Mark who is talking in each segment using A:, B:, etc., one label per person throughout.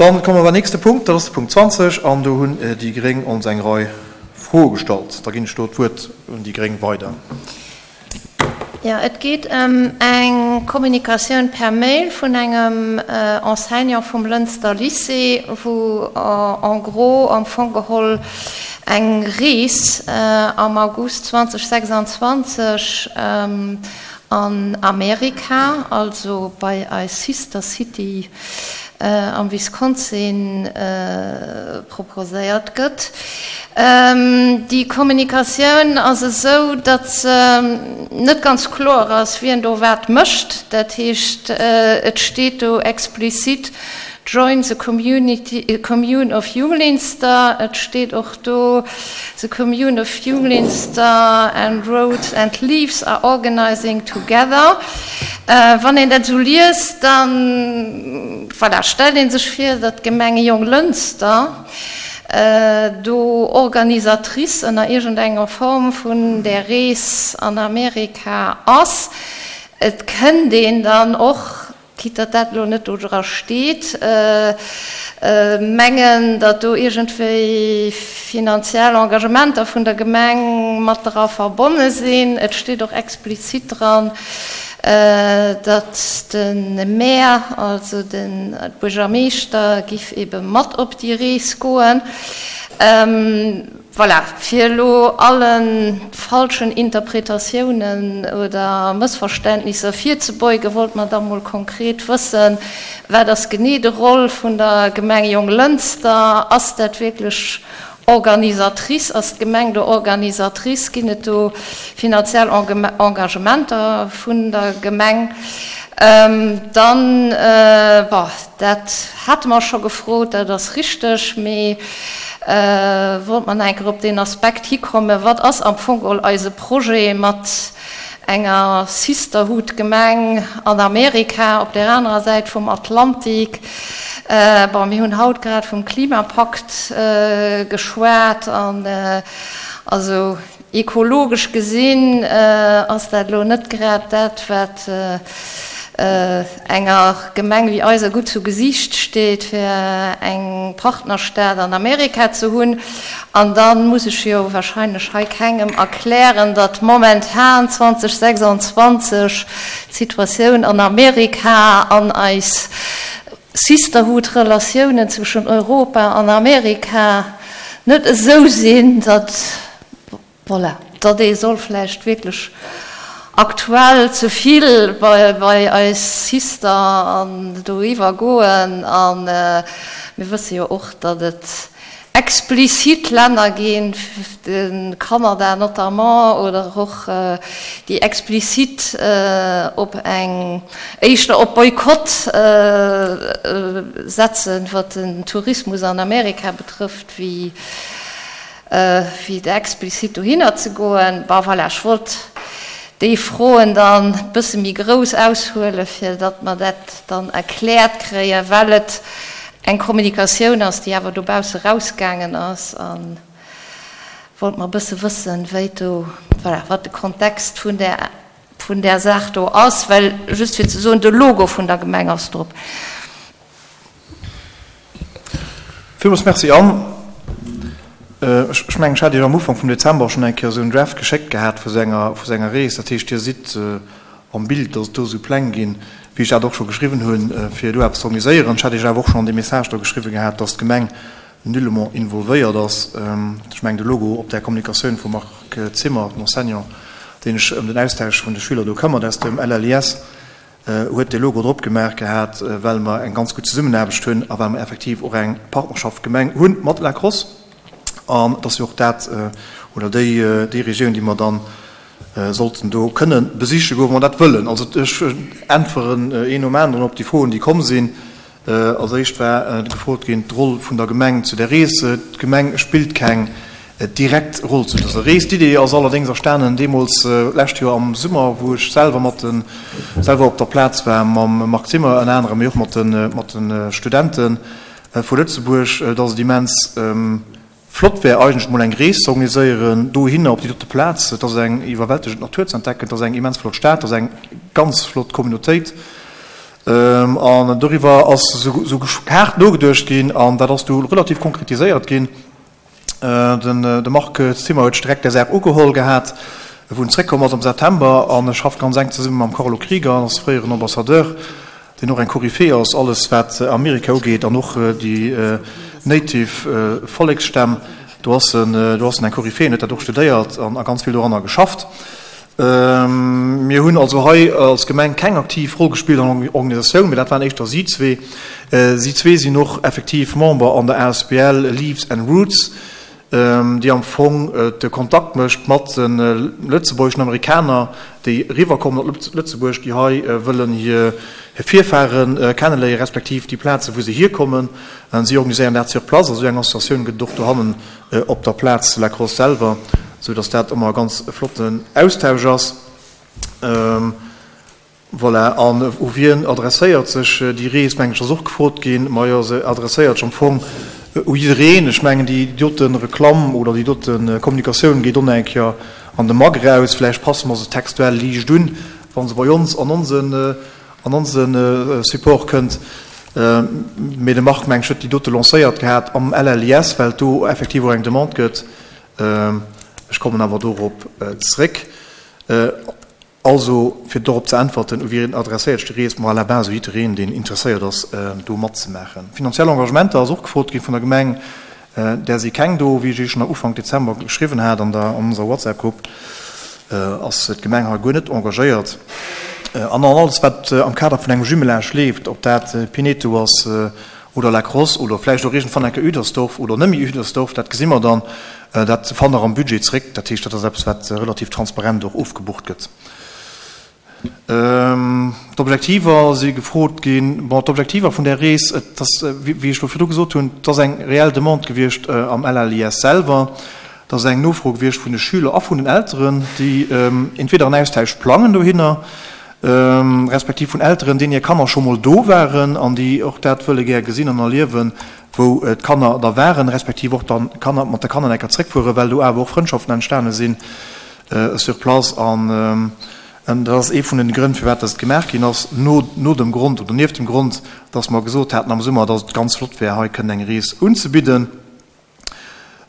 A: Dann komme mer beim nächste Punkt, dat ass de Punkt 20, an do hunn déi gréng ons eng Rei Froe gestallt. Da ginn ech do d'Wuert un déi gréng weider.
B: Jo, et geet ëm eng Kommunikatioun per Mail vun engem Enseignant vum Lënster Lycée, wou en gros am Fong geholl eng Rees am August 2026 an Amerika, also bei eis Sister City am Wisconsin, proposéiert gëtt. Déi Kommunikatioun ass esou, datt se net ganz kloer ass, wien do wat mécht. Dat heescht, et steet do explizit Join the community, commune of Junglinster. Et steet och do The commune of Junglinster and Roads and Leaves are organizing together. Wann een dat esou liest, da voilà, stellt ee sech vir, datt d'Gemeng Jonglënster do Organisatrice ënner iergendenger Form vun där Rees an Amerika ass. Et kënnt een dann och Quitte datt dat elo net do dra steet, mengen, datt do iergendwéi finanziell Engagementer vun der Gemeng mat dra verbonne sinn. Et steet och explizit dran, datt de Maire, also de Buergermeeschter, giff ebe mat op déi Rees goen. Voilà, fir elo alle falschen Interpretatiounen oder Mëssverständnisser virzebeugen, wollt mer da mol konkret wëssen, Wat ass genee de Rôle vun der Gemeng Jonglënster? Ass dat wierklech Organisatrice? Ass d'Gemeng do Organisatrice? Ginn et do finanziell Engagementer vun der Gemeng? Dann, bon, dat hate mer scho gefrot, dat ass richteg, mee wollt mer nach eng Kéier op deen Aspekt hikommen, Wat ass am Fong geholl eise Projet mat enger Sisterhood-Gemeng an Amerika op där anerer Säit vum Atlantik? Bon, mir hunn haut grad vum Klimapakt geschwat an also Ekologesch gesinn ass dat elo net grad dat, wat enger Gemeng wéi eiser gutt zu Gesiicht steet, fir eng Partnerstad an Amerika ze hunn. An da muss ech jo wahrscheinlech hei kengem erklären, datt momentan 2026 d'Situatioun an Amerika an eis Sisterhood-Relatiounen zwëschen Europa an Amerika net esou sinn, datt, voilà, datt ee soll vläicht wierklech aktuell ze vill bei eis Sister an doriwwer goen. A mir wësse jo och, datt et explizit Länner ginn, de Kanada notamment, oder och déi explizit op eng, éischter op Boykott setzen, wat den Tourismus an Amerika betrëfft, wéi explizit dohinner ze goen. Bon, voilà, ech wollt déi Froen dann e bësse méi grouss aushuelen, fir datt mer dat dann erkläert kréien, well et eng Kommunikatioun ass, déi awer dobausse rausgaangen ass, a wollt mer e bësse wëssen, wéi do, voilà, wat de Kontext vun där, vun där Saach do ass, well, just fir ze soen, de Logo vun der Gemeng ass drop.
A: Villmools Merci. Anne, ech mengen, ech hat Iech am Ufank vum Dezember schonn eng Kéier esou en Draft geschéckt gehat vu sou enger, vu sou enger Rees. Dat heescht, Dir sidd am Bild, dass et do esou Pläng ginn, wéi ech dat och scho geschriwwen hunn, fir do eppes ze organiséieren. Ech hat Iech awer och schonn an deem Message do geschriwwen gehat, dass d'Gemeng nullement involvéiert ass. Ech mengen, de Logo op där Kommunikatioun vum Marc Zimmer, dem Enseignant, deen sech ëm den Austausch vun de Schüler do këmmert aus dem LLIS, huet dee Logo drop gemaach gehat, well mer eng ganz gutt Zesummenaarbecht hunn a well mer effektiv och eng Partnerschaft Gemeng hu mat La Crosse. An et ass jo och dat oder déi Regioun, déi mer dann sollten do kënne besiche goen, wa mer dat wëllen. Also ech äntweren een nom aneren op déi Froen, déi komm sinn. Als éischt war gefrot ginn, d'Roll vun der Gemeng zu der Rees. D'Gemeng spillt keng direkt Roll zu dëser Rees. D'Idee ass allerdéngs erstanen deemools lescht Joer am Summer, wou ech selwer mat de selwer op der Plaz war mam Marc Zimmer ënner anerem, mee och mat de mat de Studente vu Lëtzebuerg, dass et immens Flott wär eigentlech mol eng Rees ze organiséieren dohinner op déi dote Plaz. Et ass eng iwwerwältegend Natur ze entdecken, et ass eng immens flott Stad, et ass eng ganz flott Communautéit. An doriwwer ass esou haart nogeduecht ginn an dat ass du relativ konkretiséiert ginn. De Marc Zimmer huet sech direkt där Saach ugeholl gehat, wou en zréckkomm ass am September an e schafft ganz enk zesumme mam Carlo Krieger, ass fréieren Ambassadeur, deen och eng Koryphäe ass, alles wat Amerika ugeet an och déi native Volleksstämm, do ass en, do ass en eng Koryphäe, en huet dat och studéiert an a ganz vill doranner geschafft. Mir hunn also hei als Gemeng keng aktiv Roll gespillt an der Organisatioun, mee dat waren éischter si zwee. Si zwee sinn och effektiv Member an der asbl Leaves and Roots, déi am Fong de Kontakt mécht mat de lëtzebuergeschen Amerikaner, déi eriwwerkommen op Lëtzebuerg, déi hei wëllen hir Virfare kenneléieren, respektiv déi Plazen, wou se hierkommen. Si organiséieren dat sur place. Also esou eng Associatioun gëtt et och dohannen op der Plaz zu La Crosse selwer, esou dass dat ëmmer e ganz flotten Austausch ass. Voilà, an u wien adresséiert sech déi Rees, mengen ech, ass och gefrot ginn. Majo, se adresséiert sech am Fong u jiddereen. Ech mengen, déi dote Reklamm oder déi dote Kommunikatioun geet och nach eng Kéier an de Mag eraus. Vläicht passe mer se textuell liicht un, wa se bei ons an onsen an onse Support kënnt. Mee de Marc, mengen ech, huet déi dote lancéiert gehat am LLIS, well et do effektiv och eng Demande gëtt. Ech kommen awer dorop zréck. Also, fir dorop ze äntwerten, u wien adresséiert sech déi Rees? Ma à la base u jiddereen, deen interesséiert ass, do matzemaachen. Finanziell Engagementer ass och gefrot gi vun der Gemeng. Där si keng do. Wéi ech Iech schonn Ufank Dezember geschriwwen hat an der, an onser WhatsApp-Grupp, ass d'Gemeng hei guer net engagéiert. An an alles, wat am Kader vun engem Jumelage leeft, ob dat Pineto ass oder La Crosse oder vläicht och iergendwann eng Kéier Üdersdorf oder net méi Üdersdorf, dat gesi mer dann, dat fannt Der am Budget zréck. Dat heescht, dat ass eppes, wat relativ transparent och ofgebucht gëtt. D'Objektiver si gefrot ginn. Bon, d'Objektiver vun där Rees, et ass, wéi ech elo virdru gesot hunn, et ass eng reell Demande gewiescht am LLIS selwer. Et ass eng Nofro gewiescht vun de Schüler a vun den Elteren, déi entweder en Austausch plangen dohinner, respektiv vun Elteren, deenen hir Kanner scho mol do waren an déi och dat wëlle gär gesinn an erliewen, wou d'Kanner da waren, respektiv och dann Kanner mat de Kanner eng Kéier zréckfueren, well do awer och Frëndschaften entstane sinn sur place. An dat ass ee vun den Grënn, firwat dass et gemaach ginn ass, no no dem Grond oder nieft dem Grond, dass mer gesot haten am Summer, dass et ganz flott wär, hei kënnen eng Rees unzebidden.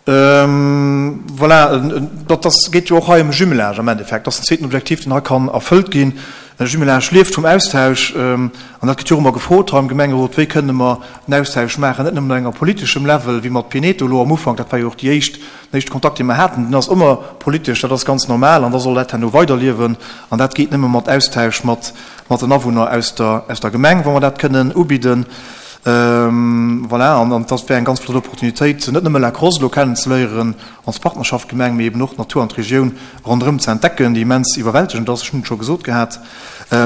A: Voilà, dat ass, geet jo och hei ëm e Jumelage am Endeffekt. Dat ass den zweeten Objektiv, deen hei kann erfëllt ginn. E Jumelage lieft vum Austausch. An dat gëtt jo och ëmmer gefrot hei am Gemengerot, Wéi kënne mer en Austausch maachen, net nëmmen op enger politeschem Level, wéi mat Pineto elo am Ufank, dat war jo och déi éischt, den éischte Kontakt, dee mer haten, deen ass ëmmer politesch, dat ass ganz normal an da soll dat herno weiderliewen. An dat geet nëmme mat Austausch mat, mat den Awunner aus der, aus der Gemeng, wa mer dat kënnen ubidden. Voilà, an dat wär eng ganz flott Opportunitéit, net nëmme La Crosse elo kennenzeléieren als Partnerschaftsgemeng, mee eben och d'Natur an d'Regioun ronderëm ze entdecken, déi immens iwwerwältegend ass, ech hunn et scho gesot gehat.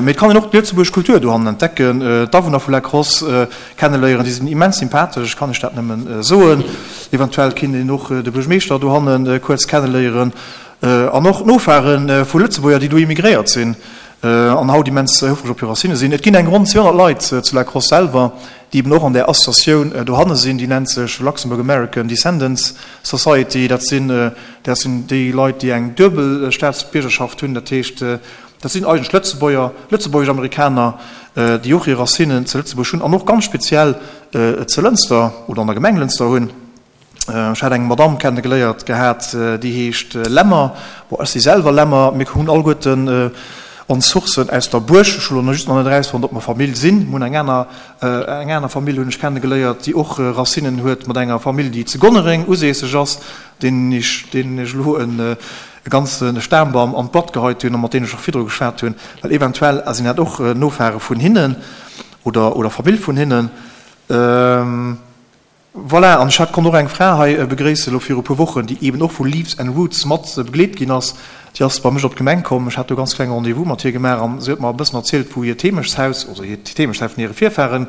A: Mee et kann een och d'lëtzebuergesch Kultur dohannen entdecken, d'Awunner vu La Crosse kenneléieren, déi sinn immens sympathesch, ech kann iech dat nëmmen soen. Eventuell kinnt een och de Buergermeeschter dohanne kuerz kenneléieren an och d'Nofahre vu Lëtzebuerger, déi do immigréiert sinn. An haut immens houfreg op hir Racine sinn. Et ginn eng ronn 200 Leit zu La Crosse selwer, déi eben och an där Associatioun dohanne sinn. Déi nennt sech Luxembourg American Descendants Society. Dat sinn, dat sinn déi Leit, déi eng duebel Staatsbiergerschaft hunn. Dat heescht, dat sinn eigentlech Lëtzebuerger, lëtzebuergesch Amerikaner, déi och hir Racinen zu Lëtzebuerg hunn an och ganz speziell zu Lënster oder an der Gemeng Lënster hunn. Ech hat eng Madamm kenne geléiert gehat, déi heescht Lemmer. Bon, ech si selwer Lemmer. Mir hunn alleguerten ons Sourcen aus der Buerg. Ech hu lo just nach net erausfonnt, ob mer Famill sinn. Mir hunn eng aner, eng aner Famill hunn ech kenne geléiert, déi och Racinen huet mat enger Famill, déi zu Gonnereng usässeg ass, deenen ech, deenen ech elo e ganze Stambam an d'Blatt geheit hunn a mat deenen ech och virdru geschwat hunn, well eventuell sinn dat och Nofahre vun hinnen oder, oder Famill vun hinnen. Voilà, an ech hat, konnt och eng Fra hei begréissen elo viru puer Wochen, déi eeben och vu Leaves and Roots mat begleet ginn ass. Déi ass bei mech op d'Gemeng komm. Ech hat do e ganz klenge Rendez-vous mat hir gemaach an si huet mer e bëssen erzielt, wou hiert Heemechtshaus, also hiert Heemechtshaus vun hire Virfaren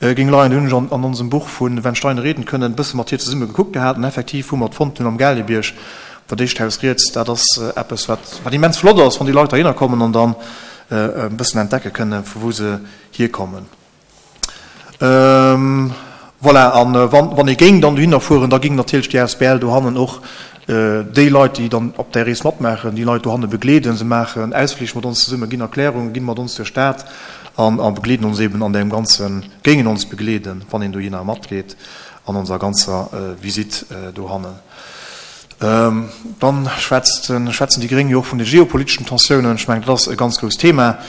A: géing leien. Do hunn ech an an onsem Buch vu Wenn Steine reden können e bësse mat hir zesumme gekuckt gehat an effektiv hu mer et fonnt hunn am Gaalgebierg, dat éischt Haus riets. Dat ass eppes, wat wat immens flott ass, wann déi Leit heihinner kommen an dann e bëssen entdecke kënnen, vu wou se hierkommen. Voilà, an wann ee géing dann dohinner fueren, da géing natierlech déi asbl dohannen och déi Leit, déi dann op där Rees matmaachen, déi Leit dohanne begleeden. Se maachen Ausflich mat ons zesummen, ginn Erklärungen, ginn mat ons duerch d'Stad. An a begleeden ons eben an deem ganzen, géingen ons begleeden, wann een dohinner matgeet, an onser ganzer Visitt dohannen. Dann schwätzt, schwätzen déi Gréng jo och vun de geopoliteschen Tensiounen. Ech mengen, dat ass e ganz grousst Thema.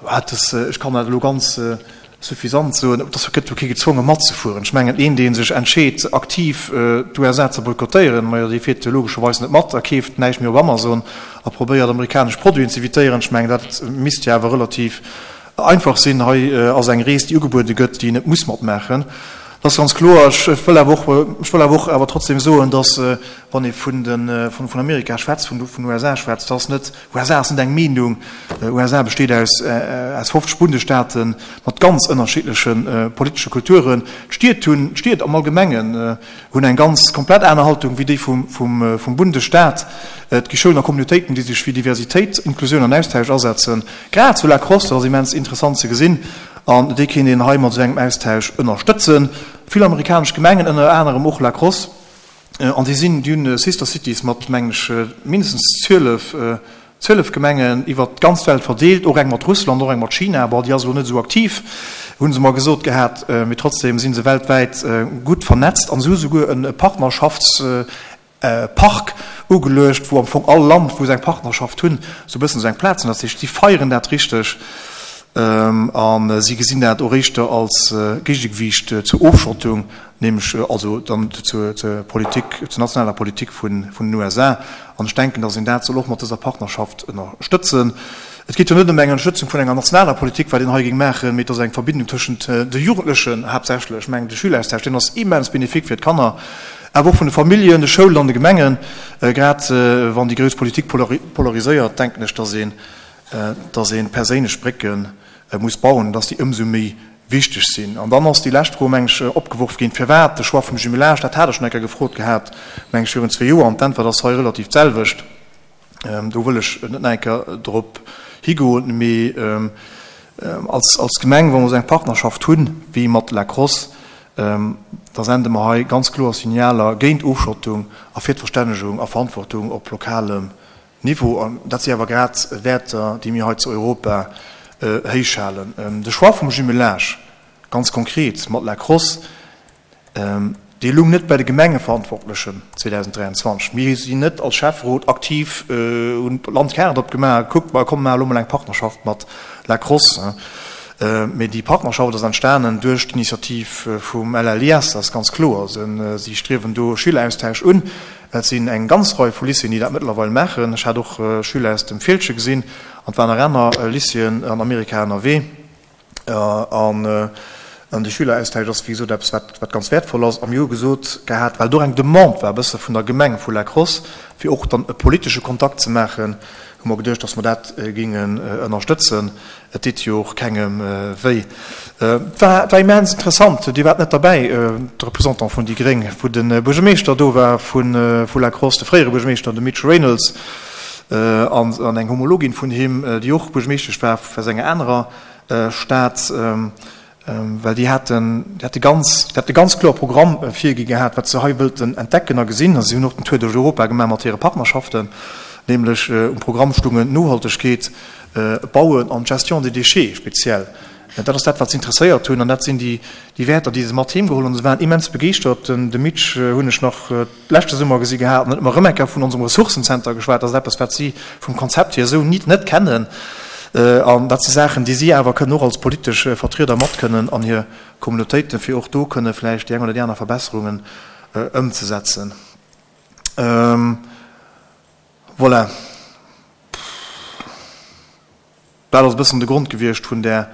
A: Wat es, ech kann dat elo ganz suffisant soen, et ass, gëtt jo kee gezwonge matzefueren. Ech mengen, een, dee sech entscheet, aktiv d'USA ze boykottéieren, majo, dee fiert jo logescherweis net mat a keeft näischt méi op Amazon a probéiert, amerikanesch Produiten ze evitéieren. Ech mengen, dat misst jo awer relativ einfach sinn. Hei ass eng Rees, déi ugebuede gëtt, déi een net muss matmaachen. Dat ass ganz kloer. Ech wëll awer och, ech wëll awer och awer trotzdem soen, dass, wann ee vun de, vun Amerika schwätzt, vun den USA schwätzt, dass net, USA ass net eng Meenung. USA besteet aus, aus 50 Bundesstaaten mat ganz ënnerschiddleche politesche Kulturen. D'Stied hunn, d'Stied am Allgemengen hunn eng ganz komplett aner Haltung wéi déi vum, vum, vum Bundesstaat. Et gi Schoulen a Communautéiten, déi sech fir Diversitéit, Inklusioun an Austausch asetzen. Grad zu La Crosse, dat ass immens interessant ze gesinn. An déi kéint een hei mat esou engem Austausch ënnerstëtzen. Vill amerikanesch Gemengen, ënner anerem och La Crosse, an déi sinn, déi hunn Sister Cities mat, mengen ech, mindestens 12, 12 Gemengen iwwert d'ganz Welt verdeelt, och eng mat Russland, och eng mat China, bon, déi ass elo net esou aktiv, hu se mer gesot gehat, mee trotzdem si se weltwäit gutt vernetzt an se hu souguer e Partnerschafts Park ugeluecht, wou am Fong all Land, wou se eng Partnerschaft hunn, esou e bëssen esou eng Plaz hunn. Dat heescht, si feieren dat richteg a si gesinn dat och éischter als Géigegewiicht zur Ofschottung, nämlech also dann zur Politik, zur nationaler Politik vun den USA. An ech denken, datt een dat soll och mat dëser Partnerschaft ënnerstëtzen. Et geet jo net ëm eng Ënnerstëtzung vun enger nationaler Politik, wat een hei géing maachen, mee et ass eng Verbindung tëschent de Jugendlechen haaptsächlech. Ech mengen, de Schüleraustausch, deen ass immens bénéfique fir d'Kanner, awer och vun de Familljen, de Schoulen an de Gemengen. Grad wann déi grouss Politik polariséiert, denken ech, dass een, dass ee perséinlech Brécke muss bauen, dass déi ëmsou méi wichteg sinn. An dann ass déi lescht Fro, meng ech, opgeworf ginn, Firwat de Choix vum Jumelage? Dat hat ech schonn eng Kéier gefrot gehat, meng ech, virun zwee Joer, an d'Äntwert ass hei relativ d'selwecht. Do wëll ech net nach eng Kéier drop higoen, mee als, als Gemeng, wa mer esou eng Partnerschaft hunn wéi mat La Crosse, da sende mer hei ganz kloer Signaler géint Ofschottung a fir d'Verstännegung a Verantwortung op lokalem Niveau. An dat si awer grad Wäerter, déi mir hei zu Europa héichhalen. De Choix vum Jumelage, ganz konkret mat La Crosse, Dee lung net bei de Gemengeverantwortlechen 2023. Mir sinn net als Schäfferot aktiv, hunn d'Landkaart opgemaach a gekuckt, ma komm, maache lo mol eng Partnerschaft mat La Crosse. Mee déi Partnerschaft ass entstanen duerch d'Initiativ vum LLIS, dat ass ganz kloer. Si striewen do Schüleraustausch un. Et sinn eng ganz Rei vu Lycéeën, déi dat mëttlerweil maachen. Ech hat och Schüler aus dem Fieldgen gesinn an et waren nach aner Lycéeën an Amerika ënnerwee. An de Schüleraustausch ass, wéi gesot, eppes, wat ganz wäertvoll ass. A mir hu gesot gehat, well do eng Demande war e bësse vun der Gemeng vu La Crosse, fir och dann e politesche Kontakt ze maachen, hu mer geduecht, datt mer dat géingen ënnerstëtzen. Et deet jo och kengem wéi. Et war immens interessant. Dir waart net derbäi, de Représentant vun déi gréng, wou de Buergermeeschter do war vu La Crosse, de fréiere Buergermeeschter, de Mitch Reynolds, an eng Homologin vun him, déi och Buergermeeschtesch war aus enger anerer Stad, well déi haten, déi hate ganz, déi hate ganz kloer Programm virgi gehat, wat se hei wëllten entdecken a gesinn. A si hunn och den Tour duerch Europa gemaach mat hire Partnerschaften, nämlech um Programm stungen Nohaltegkeet, Bauen an d'Gestion des déchets speziell. Dat ass dat, wat se interesséiert hunn an dat sinn déi Wäerter, déi se mat heem geholl hunn. Se waren immens begeeschtert. De Mitch hunn ech nach leschte Summer gesi gehat an huet mer erëm eng Kéier vun onsem Ressourcenzenter geschwat. Dat ass eppes, wat si vum Konzept hier esou nit net kennen. An dat si Saachen, déi si awer kënnen och als politesch Vertrieder mat kënnen an hir Communautéiten, fir och do kënne vläicht déi eng oder déi aner Verbesserungen ëmzesetzen. Voilà. Dat ass e bëssen de Grond gewiescht vun där,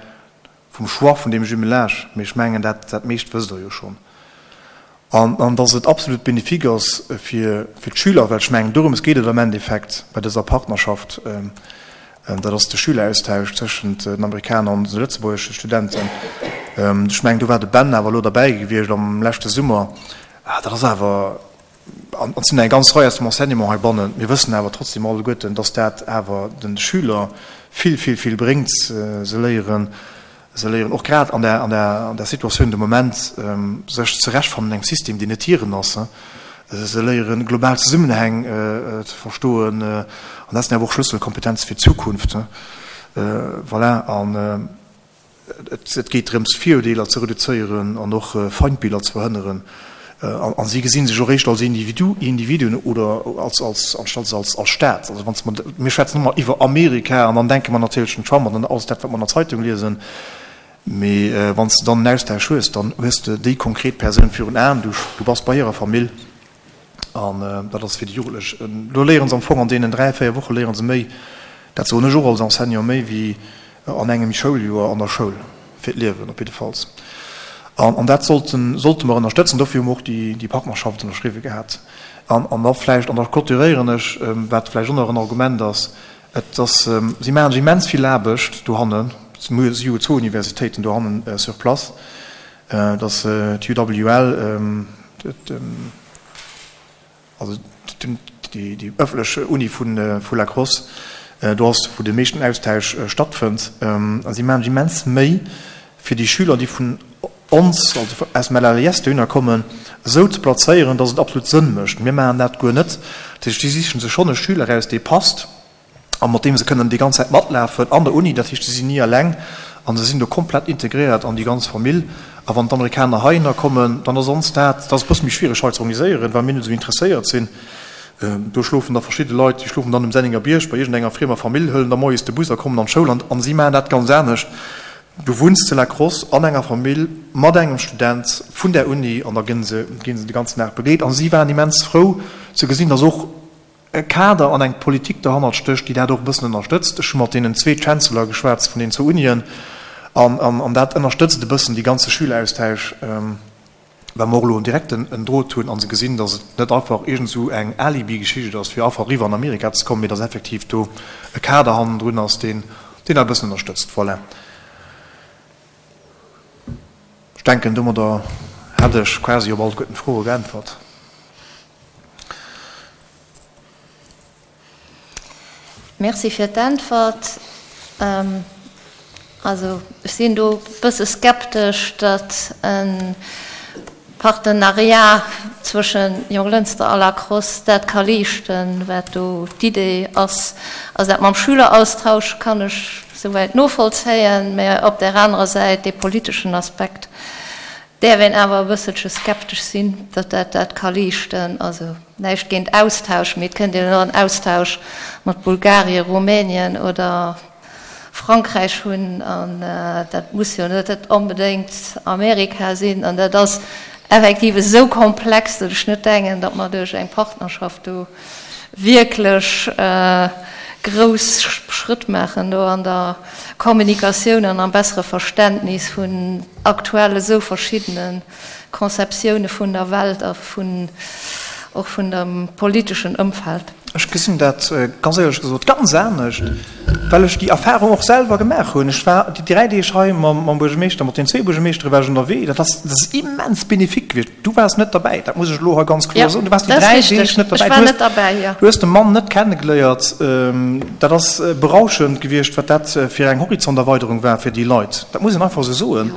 A: vum Choix vun deem Jumelage, mee ech mengen, dat, dat meescht wësst Der jo schonn. An, an dass et absolut bénéfique ass fir, fir d'Schüler, well ech mengen, dorëms geet et am Endeffekt bei dëser Partnerschaft, dat ass de Schüleraustausch tëschent den Amerikaner an de lëtzebuergesche Studenten. Ech mengen, do war de Ben awer elo derbäi gewiescht am leschte Summer. Dat ass awer, An et sinn eng ganz Rei aus dem Enseignement heibannen. Mir wëssen awer trotzdem alleguerten, dass dat awer de Schüler vill, vill, vill bréngt. Se léieren, se léieren och grad an der, an der, an der Situatioun de Moment, sech zerechtfannen an engem System, deen net hiren ass. Se léieren, global Zesummenhäng ze verstoen. An dat sinn awer och Schlësselkompetenze fir d'Zukunft. Voilà. An. Et geet drëms, Virurdeeler ze reduzéieren an och Feindbiller ze verhënneren. A si gesinn sech och éischter als Individuen oder als, als, anstatt als, als Staat. Also wann s mer, mir schwätzen ëmmer iwwer Amerika an dann denke mer natierlech un Trump an dann alles dat, wat mer an der Zeitung liesen. Mee wann s de dann en Austausch hues, dann hues de déi konkret Persoun virun Aen, du, du bass bei hirer Famill. An dat ass fir déi Jugendlech, do léiere se am Fong an deenen 3, 4 Woche léiere se méi, dat soen ech och als Enseignant, méi wéi an engem Schouljoer an der Schoul, fir d'Liewen op jiddefalls. An dat sollten, sollte mer ënnerstëtzen. Dofir hu mer och déi Partnerschaft ënnerschriwwe gehat. An da vläicht, an da clôturéieren ech, wat vläicht och nach en Argument ass, Et ass, si maachen sech immens vill Aarbecht dohannen, si hu zwou Universitéiten dohannen sur place, Et ass d'UWL, also déi ëffentlech Uni vu La Crosse, do ass wou de meeschten Austausch stattfënnt. A si maachen sech immens Méi fir déi Schüler, déi vun ons, also aus dem LLIS dohinner kommen, esou ze plazéieren, datt et absolut Sënn mécht. Mir maachen dat guer net. Dat heescht, si sichen sech schonn e Schüler eraus, dee passt a mat deem se kënnen déi ganz Zäit matlafen an der Uni. Dat heescht, se sinn ni eleng a se sinn do komplett integréiert an déi ganz Famill. A wann d'Amerikaner heihinner kommen, dann ass ons dat, dat ass e bësse méi schwiereg hei ze organiséieren, well mir net esou interesséiert sinn. Do schlofen da verschidde Leit, déi schlofen dann um Senningerbierg bei iergendenger friemer Famill, huelen da moies de Bus a kommen an d'Schoul an si maachen dat ganz anescht. Du wunns zu La Crosse an enger Famill mat engem Student vun där Uni an da ginn se de ganzen Dag begleet. A si waren immens frou ze gesinn, datt och e Kader an eng Politik derhannert stécht, déi dat och e bëssen ënnerstëtzt. Ech hu mat deenen zwee Chancellor geschwat vun deenen zwou Unien an dat ënnerstëtzt e bëssen dee ganze Schüleraustausch, well mer och elo en direkten en Drot hunn a se gesinn, datt et net einfach iergend esou eng Alibi-Geschicht ass, fir einfach eriwwer an Amerika ze kommen, mee datt effektiv do e Kader hannendrun ass, deen deen dat e bëssen ënnerstëtzt. Voilà. Ech denken, domadder hätt ech quasi op alleguerten d'Froe geäntwert.
B: Merci fir d'Äntwert. Also ech sinn do e bësse skeptesch, datt e Partenariat zwësche Jonglënster a La Crosse dat ka leeschten, wat do d'Idee ass. Also dat mam Schüleraustausch kann ech souwäit novollzéien, mä op där anerer Säit dee politeschen Aspekt däerf een awer e bësselche skeptesch sinn, datt dat dat ka leeschten. Also näischt géint Austausch, mee et kënnt een och en Austausch mat Bulgarien, Rumänien oder Frankräich hunn an dat muss jo net onbedéngt Amerika sinn. An dat ass effektiv esou komplex, datt ech net denken, datt mer duerch eng Partnerschaft do wierklech grouss Schrëtt maachen do an der Kommunikatioun an am bessere Verständnis vun aktuell esou verschiddene Conceptioune vun der Welt a vun och vun dem politeschen Ëmfeld.
A: Ech gesinn dat ganz éierlech gesot ganz anescht, well ech déi Erfahrung och selwer gemaach hunn. Ech war déi 3 Deeg hei mam Buergermeeschter, mat den zwee Buergermeeschtere war ech ënnerwee. Dat ass, dat ass immens bénéfique gewiescht. Du waars net derbäi, dat muss ech elo hei ganz kloer soen. Du waars déi 3 Deeg net derbäi. Du hues de Mann net kennegeléiert. Dat ass berauschend gewiescht, wat dat fir eng Horizonterweiderung war fir déi Leit. Dat muss een einfach esou soen.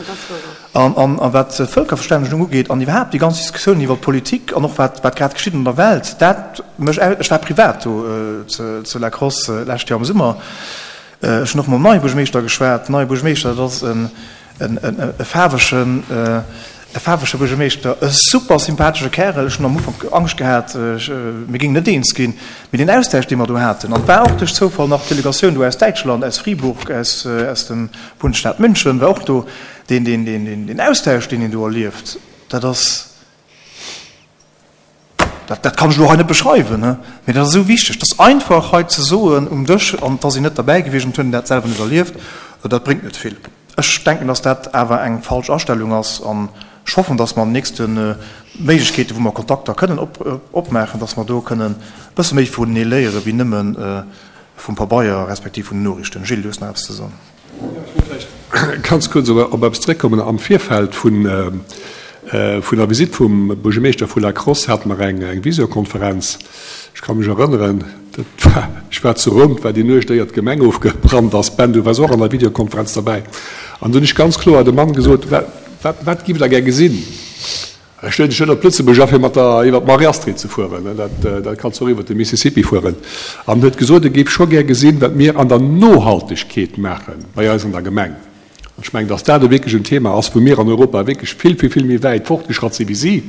A: An wat d'Vëlkerverstännegung ugeet an iwwerhaapt déi ganz Diskussioun iwwer d'Politik an och wat wat grad geschitt an der Welt, dat mech, ech war privat do zu La Crosse d'lescht Joer am Summer, ech hunn och mam neie Buergermeeschter geschwat. Den neie Buergermeeschter, dat ass en e faarwegen, e faarwege Buergermeeschter, e super sympathesche Kärel. Ech hunn am Ufank Angscht gehat, mir géingen net eens ginn, mee deen Austausch, dee mer do haten, an et war och duerch Zoufall nach d'Delegatioun do aus Däitschland, aus Fribourg, aus dem Bundesstaat München war och do, Deen, deen, deen, deen, deen Austausch, deen een do erlieft, dat ass, dat, dat kann ech elo hei net beschreiwen, ne, mee dat ass esou wichteg. Dat ass einfach hei ze soen um Dësch, an et ass een net derbäi gewiescht an et huet een dat selwer net erlieft, dat bréngt net vill. Ech denken, dass dat awer eng falsch Astellung ass an ech hoffen, dass mer an den nächste Méiglechkeeten, wou mer Kontakter kënnen op, opmaachen, dass mer do kënnen e bësse méi vunenee léiere wéi nëmme vum Pabeier respektiv vun den Noriichten. Gilles, du hues nach eppes ze soen.
C: Ech wëll vläicht ganz kuerz op eppes zeréckkommen. Am Virfeld vun der Visitt vum Buergermeeschter vu La Crosse hate mer eng Visiokonferenz. Ech ka mech erënneren, dat war, ech war zu Roum, et war déi Nuecht, éier d'Gemeng ofgebrannt ass. Ben, du waars och an der Videokonferenz derbäi. An do hunn ech ganz kloer dem Mann gesot, Wat, wat giff Der gär gesinn? Ech lueden dech net op Lëtzebuerg a fir mat der iwwer d'Marie Astrid ze fueren, dat dat kanns du och iwwer de Mississippi fueren. An huet gesot, e géif scho gär gesinn, wat mir an der Nohaltegkeet maache bei eis an der Gemeng. An ech mengen, dass dat e wierklech en Thema ass, wou mir an Europa wierklech vill, vill, vill méi wäit fortgeschratt si wéi si.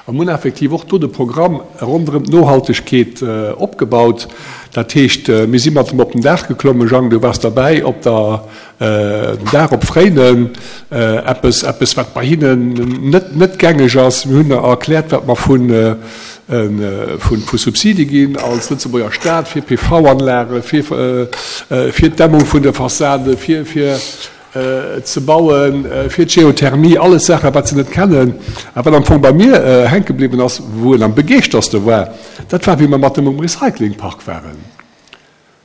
C: A mir hunn effektiv och do de Programm ronderëm d'Nohaltegkeet opgebaut. Dat heescht, mir si mat em op den Daach geklommen, Jang, du waars derbäi, op der, den Daach op Fréinen, eppes, eppes wat bei hinnen net, net gängeg ass. Mir hunn erkläert, wat mer vun, vu Subside ginn als Lëtzebuerger Staat fir PV-Anlagen, fir, fir d'Dämmung vun de Fassaden, fir, fir ze bauen, fir d'Geothermie, alles Saachen, wat se net kennen. A wat am Fong bei mir hänke bliwwen ass, wou en am begeeschterste war, dat war, wéi mer mat em um Recyclingpark waren.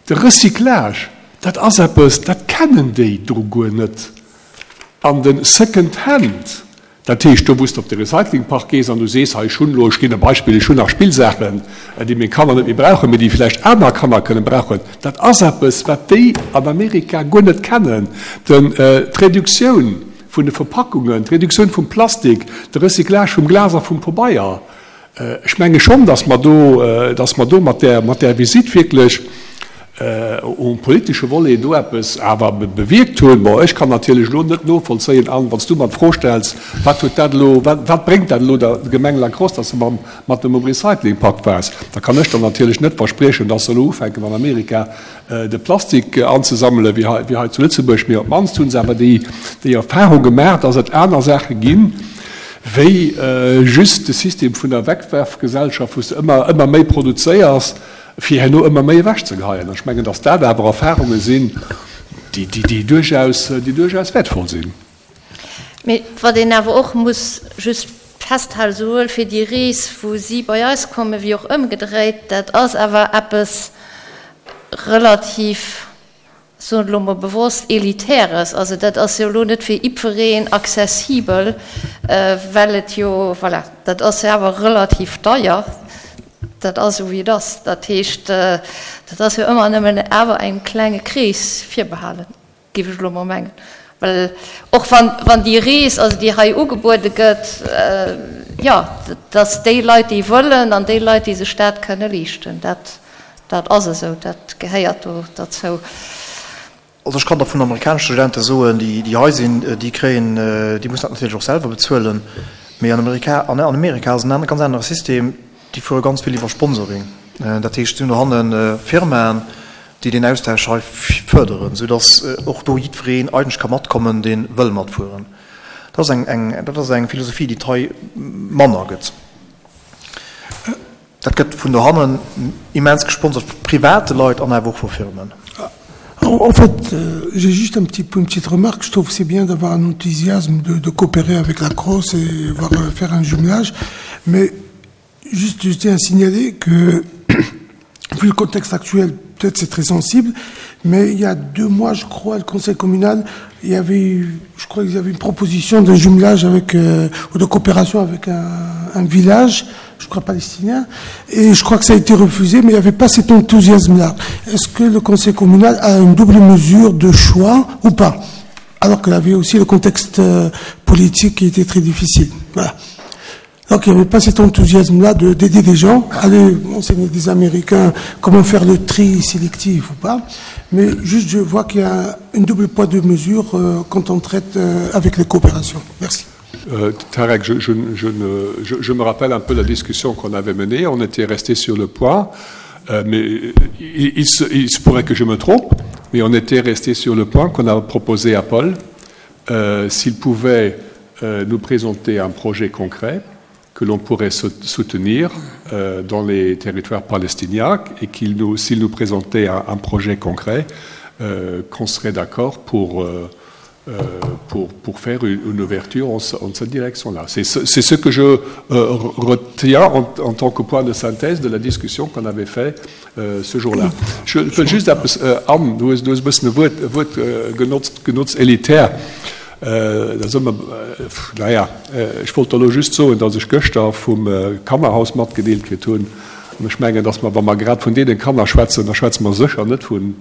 C: De Recyclage, dat ass eppes, dat kennen déi do guer net. An de Second Hand, Dat heescht, do wou s de op de Recyclingpark gees an du sees, hei ech hunn elo, ech ginn e Beispill, ech hunn nach Spillsaachen, déi meng Kanner net méi brauchen, mee déi vläicht aner Kanner kënnen brauchen, dat ass eppes, wat déi an Amerika guer net kennen. Den, d'Reduktioun vun de Verpackungen, d'Reduktioun vum Plastik, de Recyclage vum Glas a vum Pabeier, Ech menge schonn, datt mer do, datt mer do mat där, mat där Visitt wierklech um politesche Volet do eppes awer bewierkt hunn. Bon, ech kann natierlech elo net novollzéien, Anne, wann s du mer d'Fro stells, wat huet dat elo, wat, wat bréngt dat elo der Gemeng La Crosse, datt se mam, mat dem um Recyclingpak war? Da kann ech der natierlech net verspriechen, datt se elo ufänken an Amerika de Plastik anzesammelen, wéi hei, wéi hei zu Lëtzebuerg. Mee op d'mannst hu se awer déi, déi Erfahrung gemaach, datt et aner Saache ginn, wéi just de System vun der Wegwerfgesellschaft, wou s de ëmmer, ëmmer méi produzéiers, fir herno ëmmer méi ewechzegeheien. Ech mengen, datt dat awer Erfahrunge sinn, déi, déi, déi duerchaus, déi duerchaus wäertvoll sinn.
B: Mee wat een awer och muss just festhalen, souwuel fir déi Rees, wou si bei eis kommen, wéi och ëmgedréit, dat ass awer eppes relativ, ech soen et elo emol bewosst, Elitäres. Also dat ass jo elo net fir jiddwereen accessibel, well et jo, voilà, dat ass jo awer relativ deier. Dat ass esou, wéi et ass. Dat heescht, dat ass jo ëmmer nëmmen awer engem klenge Krees virbehalen. Géif ech elo mol mengen. Well och wann, wann déi Rees, also déi hei ugebuede gëtt, jo, dass déi Leit, déi wëllen, an déi Leit, déi sech dat kënne leeschten, dat, dat ass esou, dat gehéiert do derzou.
A: Also ech kann der vun amerikanesche Studente soen, déi, déi hei sinn, déi kréien, déi mussen dat natierlech och selwer bezuelen, mee an Amerika, an Amerika ass en ganz anere System, déi fuere ganz vill iwwer Sponsoring. Dat heescht, si hunn dohanne Firmaen, déi deen Austausch hei fërderen, soudass och do jiddwereen eigentlech ka matkommen, dee wëll matfueren. Dat ass eng, eng, dat ass eng Philosophie, déi et hei manner gëtt. Dat gëtt vun dohannen immens gesponsert, vu private Leit an awer och vu Firmen.
D: En fait, j'ai juste un petit, une petite remarque. Je trouve que c'est bien d'avoir un enthousiasme de, de coopérer avec la Crosse et voir faire un jumelage. Mais juste, je tiens à signaler que, vu le contexte actuel, peut-être c'est très sensible, mais il y a deux mois, je crois, le conseil communal, il y avait, je crois qu'il y avait une proposition de jumelage avec, euh, ou de coopération avec un, un village, je crois palestinien, et je crois que ça a été refusé, mais il n'y avait pas cet enthousiasme-là. Est-ce que le conseil communal a une double mesure de choix ou pas Alors qu'il y avait aussi le contexte euh, politique qui était très difficile. Voilà. Donc il n'y avait pas cet enthousiasme-là d'aider des gens, aller enseigner des Américains comment faire le tri sélectif ou pas. Mais juste, je vois qu'il y a une double poids de mesure euh, quand on traite euh, avec les coopérations. Merci.
C: Euh, Tarek, je, je, je, ne, je, je me rappelle un peu la discussion qu'on avait menée. On était resté sur le point, euh, mais il, il, se, il se pourrait que je me trompe, mais on était resté sur le point qu'on a proposé à Paul euh, s'il pouvait euh, nous présenter un projet concret que l'on pourrait soutenir euh, dans les territoires palestiniens et qu'il nous s'il nous présentait un, un projet concret euh, qu'on serait d'accord pour euh, euh, pour, pour faire une, une ouverture en, en cette direction-là. C'est ce, ce que je euh, retiens en, en tant que point de synthèse de la discussion qu'on avait fait euh, ce jour-là. Je wëll just eppes, äh, Anne, du hues, du hues e bëssen e Wuert, e Wuert äh, genotzt, genotzt, elitär. Äh, da soll mer, äh, naja, äh, ech wollt der elo just soen, datt ech gëschter vum äh, Kannerhaus matgedeelt kritt hunn, an ech mengen, datt mer, wa mer grad vun deene Kanner schwätzen, da schwätze mer sécher net vun,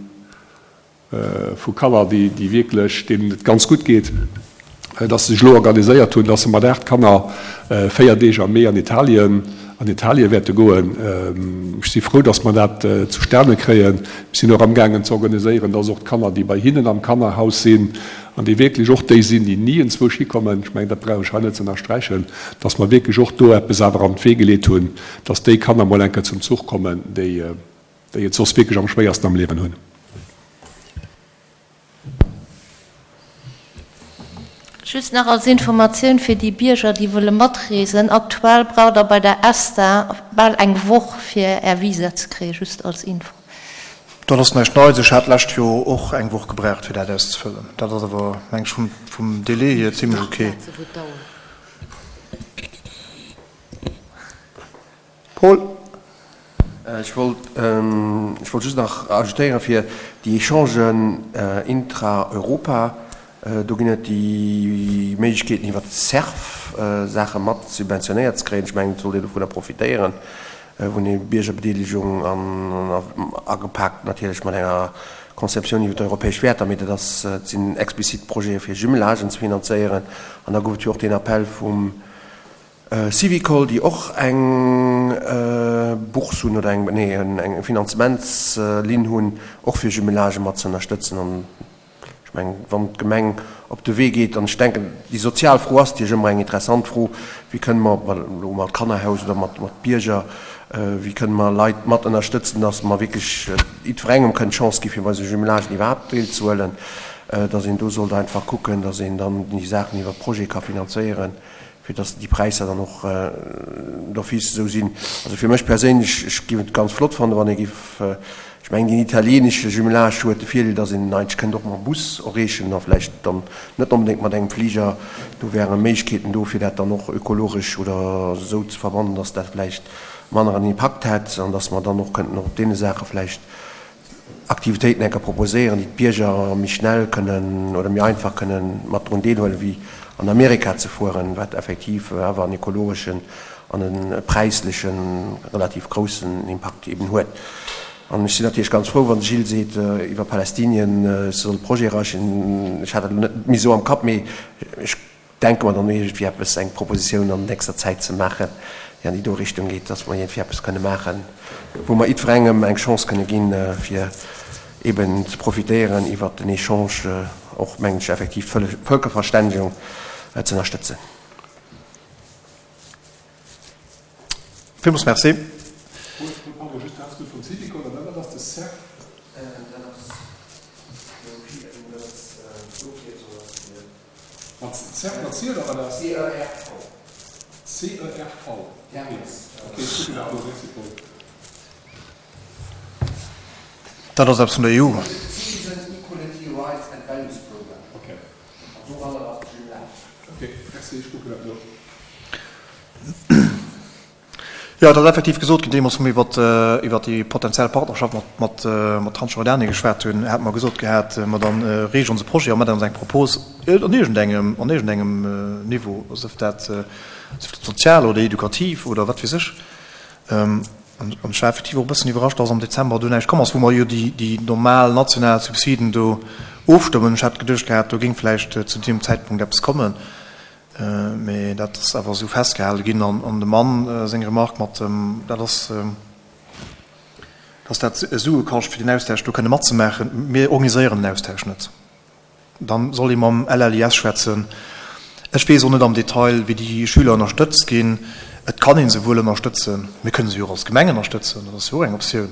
C: vu Kanner, déi, déi wierklech, deenen et ganz gutt geet. dass se sech elo organiséiert hunn, dass se mat 8 Kanner 4 Deeg am Mee an Italien, an Italien wäerte goen. Ech si frou, dass mer dat zustane kréien. Mir sinn och amgaangen ze organiséieren, dass och d'Kanner, déi bei hinnen am Kannerhaus sinn an déi wierklech och déi sinn, déi ni enzwousch hikommen, ech mengen, dat brauch ech hei net ze ënnersträichen, dass mer wierklech och do eppes awer an d'Wee geleet hunn, dass déi Kanner mol eng Kéier zum Zuch kommen, déi et soss wierklech am schwéiersten am Liewen hunn.
B: Just nach als Informatioun fir déi Bierger, déi wëlle matreesen, Aktuell braucht der bei der ESTA bal eng Woch fir är Visa ze kréien, just als Info.
A: Dat ass näischt Neits, ech hat d'lescht Joer och eng Woch gebraucht fir dat auszefëllen. Dat ass awer, meng ech, vum Délai hier zimlech ok. Paul.
E: Ech wollt, ech wollt just nach ajoutéieren, fir déi Echangen intra-Europa, do ginn et déi Méiglechkeeten iwwert d'CERF Saache mat subventionéiert ze kréien. Ech mengen, et sollt een dovunner profitéieren, wou een Biergerbedeelegung an agepaakt natierlech mat enger Conceptioun iwwer d'europäesch Wäerter, mee dat ass, et sinn explizit Projete fir Jumelagen ze finanzéieren. An da gouf et jo och deen Appell vum Syvicol, déi och eng Bourse hunn oder eng, nee, eng Finanzementslinn hunn, och fir Jumelagë mat ze ënnerstëtzen. An ech mengen, wann d'Gemeng op de Wee geet, an ech denken, déi sozial Fro ass natierlech ëmmer eng interessant Fro, wéi kënne mer, ob elo mat Kannerhaus oder mat Bierger, wéi kënne mer Leit mat ënnerstëtzen, datt mer wierklech jiddwerengem kënnen d'Chance gi fir bei esou Jumelagen iwwerhaapt deelzehuelen, datt een do sollt einfach kucken, datt een dann déi Saachen iwwer Projete ka finanzéieren. fir dass déi Präisser dann och d'office esou sinn. Also fir mech perséinlech, ech géif et ganz flott fannen, wann ee géif, ech mengen deen italienesche Jumelage huet de Virdeel, dass een en eigentlech kënnt och mam Bus erreechen a vläicht dann net onbedéngt mat engem Fliger. Do wäre Méiglechkeeten do, fir dat dann och ökologesch oder esou ze verbannen, dass dat vläicht manner en Impakt hätt an dass mer dann och kënnten och op deene Saache vläicht Aktivitéiten enker proposéieren, déi d'Bierger méi schnell kënnen oder méi einfach kënnen mat drun deelhuelen, wéi an Amerika ze fueren, wat effektiv awer en ekologeschen an e präisleche relativ groussen Impakt eben huet. An ech sinn natierlech ganz frou, wann de Gilles seet iwwer Palästinien, ech soll Projet errechen. Ech hat dat elo net méi esou am Kapp, mee ech Denke mer dann iergendwéi eppes, eng Propositioun an nächster Zäit ze maachen, déi an déi do Richtung geet, dass mer iergendwéi eppes kënne maachen, wou mer jiddwerengem eng Chance kënne ginn, fir eeben ze profitéieren iwwert den Echange, och, mengen ech, effektiv d'Vëlkerverständigung ze ënnerstëtzen.
A: Villmools Merci.
C: Mat C, mat C oder wat ass? C-E-R-V. C-E-R-V. Ok, ech kucken dat no. Merci Paul.
A: Dat ass eppes vun der EU.
E: Citizen Equality Rights and Values Program.
C: Ok.
E: An doranner ass de Jumelage.
C: Ok, merci, ech kucken dat no.
A: Jo, et ass effektiv gesot ginn, deemools wou mir iwwer déi potenziell Partnerschaft mat Transjordanie geschwat hunn, hate mer gesot gehat, ma da reecht ons e Projet a mat ons eng Propos an iergendengem, an iergendengem Niveau, sief dat sozial oder edukativ oder wat weess ech. An ech war effektiv och e bëssen iwwerrascht, dass am Dezember do näischt komm ass, wou mer jo déi normal national Subsiden do ofstëmmen. Ech hat geduecht gehat, do géing vläicht zu deem Zäitpunkt eppes kommen. Mee dat ass awer esou festgehale ginn. An dem Mann seng Remark mat dem, dat ass, dass dat Sue kascht, fir deen Austausch do kënne matzemaachen. Mir organiséieren den Austausch net. Dann soll ee mam LLIS schwätzen. Ech weess och net am Detail, wéi déi Schüler ënnerstëtzt ginn. Et kann ee se wuel ënnerstëtzen. Mir kënne se jo och als Gemeng ënnerstëtzen, dat ass jo och eng Optioun.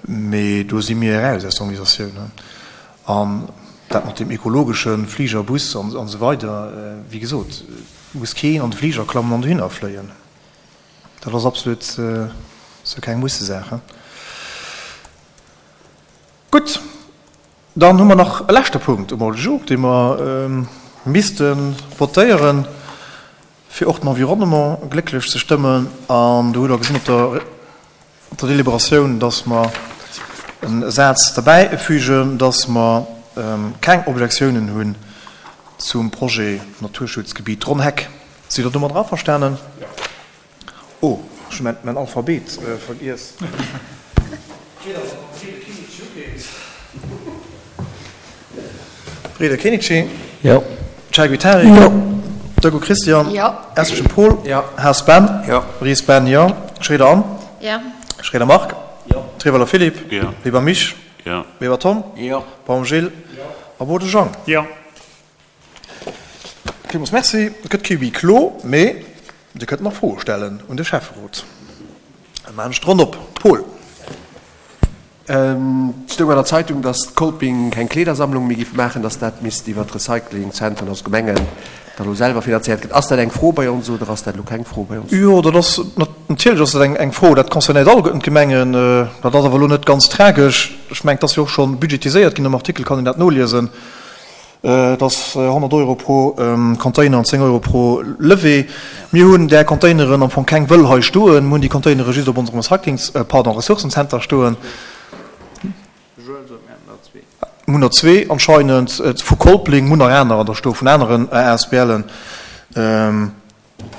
A: Mee do si mir eraus aus der Organisatioun. An dat mat deem ekologesche Fliger, Bus an esou weider, wéi gesot, et muss keen an de Fliger klammen an dohinner fléien. Dat ass absolut sou keng Mussesaach. Gutt, dann hu mer nach e leschte Punkt um Ordre du jour, dee mer misste votéieren, fir och den Environnement glécklech ze stëmmen. An do hutt Der gesinn op der Op der Deliberatioun, dass mer e Saz derbäifügen, dass mer keng Objektiounen hunn zum Projet Naturschutzgebiet Ronnheck. Sidd Der domadder averstanen? Oh, ech hu mäin Alphabet vergiess. Reda Kenichi.
F: Jo.
A: Chaguy Tarek.
D: Jo.
A: Deco Christian.
B: Jo.
A: Esschen Paul.
E: Jo.
A: Haas Ben.
E: Jo.
A: Ries Ben, jo. Schroeder Anne.
B: Jo.
A: Schroeder Marc.
F: Jo.
A: Trewelder Philippe.
G: Jo.
A: Weber Misch.
G: Jo.
A: Weber Tom.
F: Jo.
A: Baum Gilles.
F: Jo.
A: A Bode Jean.
F: Jo.
A: Villmools Merci. Et gëtt kee Huis clos, mee Dir kënnt nach Froe stellen un de Schäfferot. Da maachen ech d'Ronn op. Paul.
E: Et stoung an der Zeitung, datt Kolping keng Kleedersammlung méi giff maachen, datt dat misst iwwer d'Recyclingzentren, also d'Gemengen, da lo selwer finanzéiert gëtt. Ass dat eng Fro bei ons oder ass dat elo keng Fro bei ons?
A: Jo, dat ass, natierlech ass dat eng Fro. Dat concernéiert alleguerten d'Gemengen. Dat ass awer elo net ganz tragesch. Ech mengen, et ass jo och scho budgetiséiert ginn. Am Artikel kann een dat noliesen. Et ass 100 Euro pro Container an 10 Euro pro Levée. Mir hunn där Containeren am Fong keng wëll hei stoen. Mir hunn déi Containere just op onserem Recyclings-, pardon, Ressourcenzenter stoen. Mir hunn der zwee anscheinend vu Kolpling, mir hunn nach anerer do stoen, vun aneren ASBLen.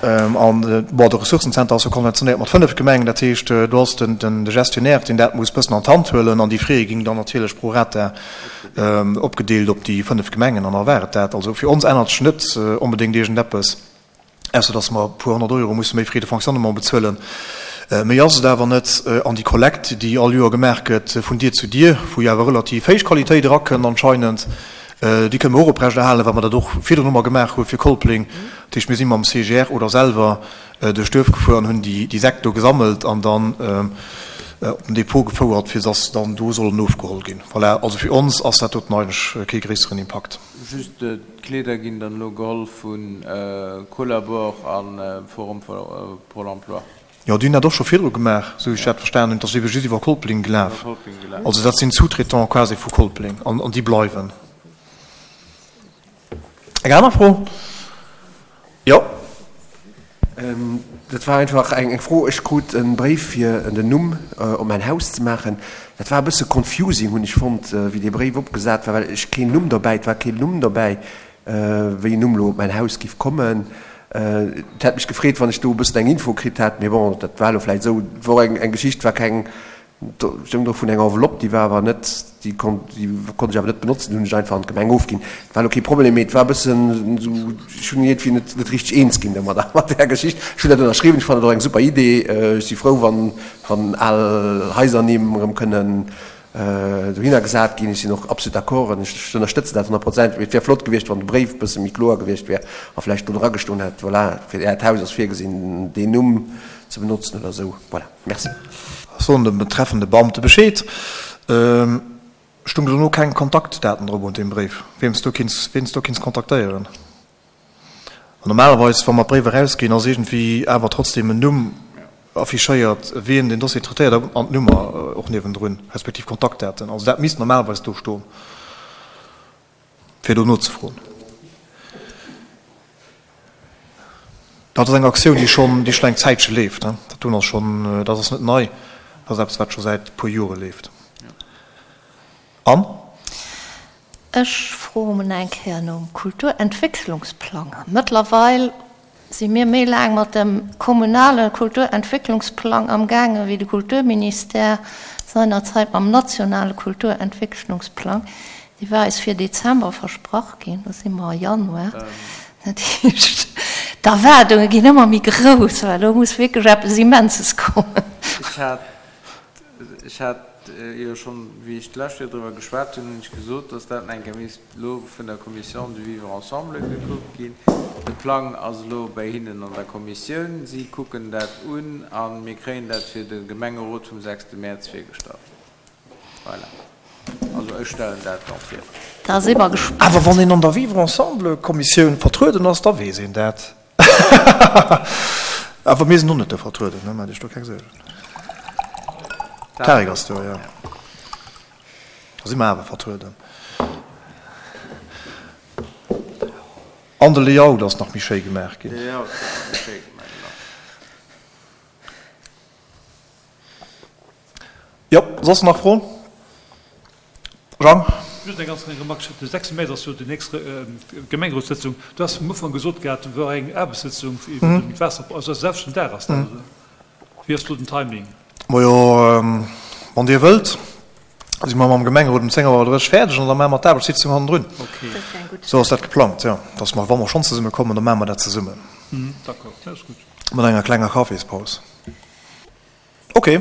A: An, bon, de Ressourcenzenter ass jo konventionéiert mat 5 Gemengen, dat heescht, do ass de Gestionnaire, deen dat muss bëssen an d'Hand huelen an déi Frais ginn dann natierlech pro rata opgedeelt op déi 5 Gemengen an da war et dat. Also fir ons ännert sech net onbedéngt iergendeppes, ausser datt mer e puer 100 Euro musse méi Frais de fonctionnement bezuelen. Méi ass et awer net. An déi Kollekt, déi all Joer gemaach gëtt vun Dier zu Dier, wou jo awer relativ héich Qualitéit erakënnt anscheinend, Déi kënne mer och oprechterhalen, well mer dat och virdrun ëmmer gemaach hu fir Kolpling. Dat heescht, mir si mam CGR oder selwer duerch d'Duerf gefuer an hunn déi Säck do gesammelt an dann op den Depot gefouert, fir dass se dann do sollen ofgeholl ginn. Voilà, also fir ons ass dat doten eigentlech kee gréisseren Impakt.
F: Just d'Kleeder ginn dann elo geholl vu Collabor a Forum pour l'emploi.
A: Jo, déi hunn dat och scho virdru gemaach, esou wéi ech dat verstanen hunn. Et ass ebe just iwwer Kolpling gelaf. Also dat sinn Sous-traitants quasi vu Kolpling an déi bleiwen. Eng aner Fro? Jo.
E: Dat war einfach eng Fro. Ech krut e Bréif fir den Numm op mäin Haus ze maachen. Dat war e bësse confusing, hunn ech fonnt, wéi dee Bréif opgesat war, well ech keen Numm dobäi, et war keen Numm dobäi. wéi en Numm elo op mäin Haus giff kommen. Et hätt mech gefreet, wann ech do e bëssen eng Info kritt hätt, mee bon, dat war elo vläicht esou. Et wor eng Geschicht, war keng, stoung do vun enger Enveloppe, déi war awer net, déi konnt, déi konnt ech awer net benotzen, déi hunn ech einfach an d'Gemeng ofginn. Et war elo kee Problem, mee et war e bëssen esou, ech hunn iergendwéi net, net richteg eens ginn domadder, mat där Geschicht. Ech hunn dat ënnerschriwwen, ech fannen et och eng super Idee. Ech si frou, wann, wann al Haisernimm erëm kënnen dohinner gesat ginn. Ech sinn och absolut d'accord an ech ënnerstëtzen dat honnertprozentig. Mee et wär flott gewiescht, wann de Bréif e bësse méi kloer gewiescht wär a vläicht do dra gestoen hätt, voilà, fir Äert Haus ass virgesinn, deen Numm ze benotzen oder esou. Voilà, merci.
A: Soen dem betreffende Beamte Bescheed. Stung dono keng Kontaktdaten drop un deem Bréif, wien s du kinns, wien s du kinns kontaktéieren? An normalerweis, wa mer Bréiwer erausginn, ass iergendwéi awer trotzdem en Numm affichéiert, wien den Dossier traitéiert an d'Nummer och niewendrun, respektiv Kontaktdaten. Also dat misst normalerweis do stoen, fir do nozefroen. Dat ass eng Aktioun, déi schonn, déi schonn eng Zäitche leeft. Dat doen ass schonn, dat ass net nei, dat ass eppes, wat scho säit e puer Jore leeft. An?
B: Ech froen eng Kéier nom Kulturentwécklungsplang. Mëttlerweil si mir méi laang mat dem kommunale Kulturentwécklungsplang am gaange wéi de Kulturministère seinerzeit mam nationale Kulturentwécklungsplang. Dee war eis fir Dezember versprach ginn, lo si mer a Januar. Dat heescht, d'Erwaardunge ginn ëmmer méi grouss, well elo muss wierklech eppes Immenses kommen.
F: Ech hat Ech hat jo schonn, wéi ech d'lescht Joer driwwer geschwat hunn, hunn ech gesot, dass dat nach eng Kéier misst elo vun der Commission du vivre ensemble gekuckt ginn. De Plang ass elo bäi hinnen an der Kommissioun. Si kucken dat un a mir kréien dat fir de Gemengerot vum sechste Mäerz virgestallt. Voilà. Also ech stellen dat da vir.
B: Da si mer gespaant.
A: Awer wann een an der Vivre ensemble Kommissioun vertrueden ass, da weess een dat. Awer mir sinn och net do vertrueden, ne? Maacht Iech do keng Suergen. Tarek ass do, jo. Da si mer awer vertrueden. An de Layout ass nach méi schéi gemaach ginn.
F: De Layout ass nach méi schéi gemaach ginn.
A: Jo, soss nach Froen? Jean?
H: Just eng ganz kleng Remarque, De 6 Mäerz ass jo déi nächst Gemengerotssëtzung. Du has am Ufank gesot gehat, do wor eng Aarbechtssëtzung iwwer den Waasser, also de selwechten Dag ass dat, oder wéi ass do den Timing?
A: Majo, wann Dir wëllt. Si mer mam Gemengerot um 10 Auer 30 fäerdeg an da maache mer d'Aarbechtssitzung hannendrun. Esou ass dat geplangt, jo. Dass mer, wa mer schonn zesumme kommen, da maache mer dat zesummen. Mat enger klenger Kaffispaus. Ok,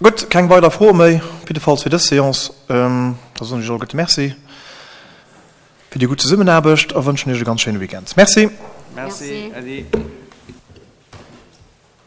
A: gutt, keng weider Froe méi, op jiddefalls fir dës Seance. Da soen ech iech alleguerte Merci fir déi gutt Zesummenaarbecht a wënschen iech e ganz schéine Weekend. Merci.
F: Merci, Äddi.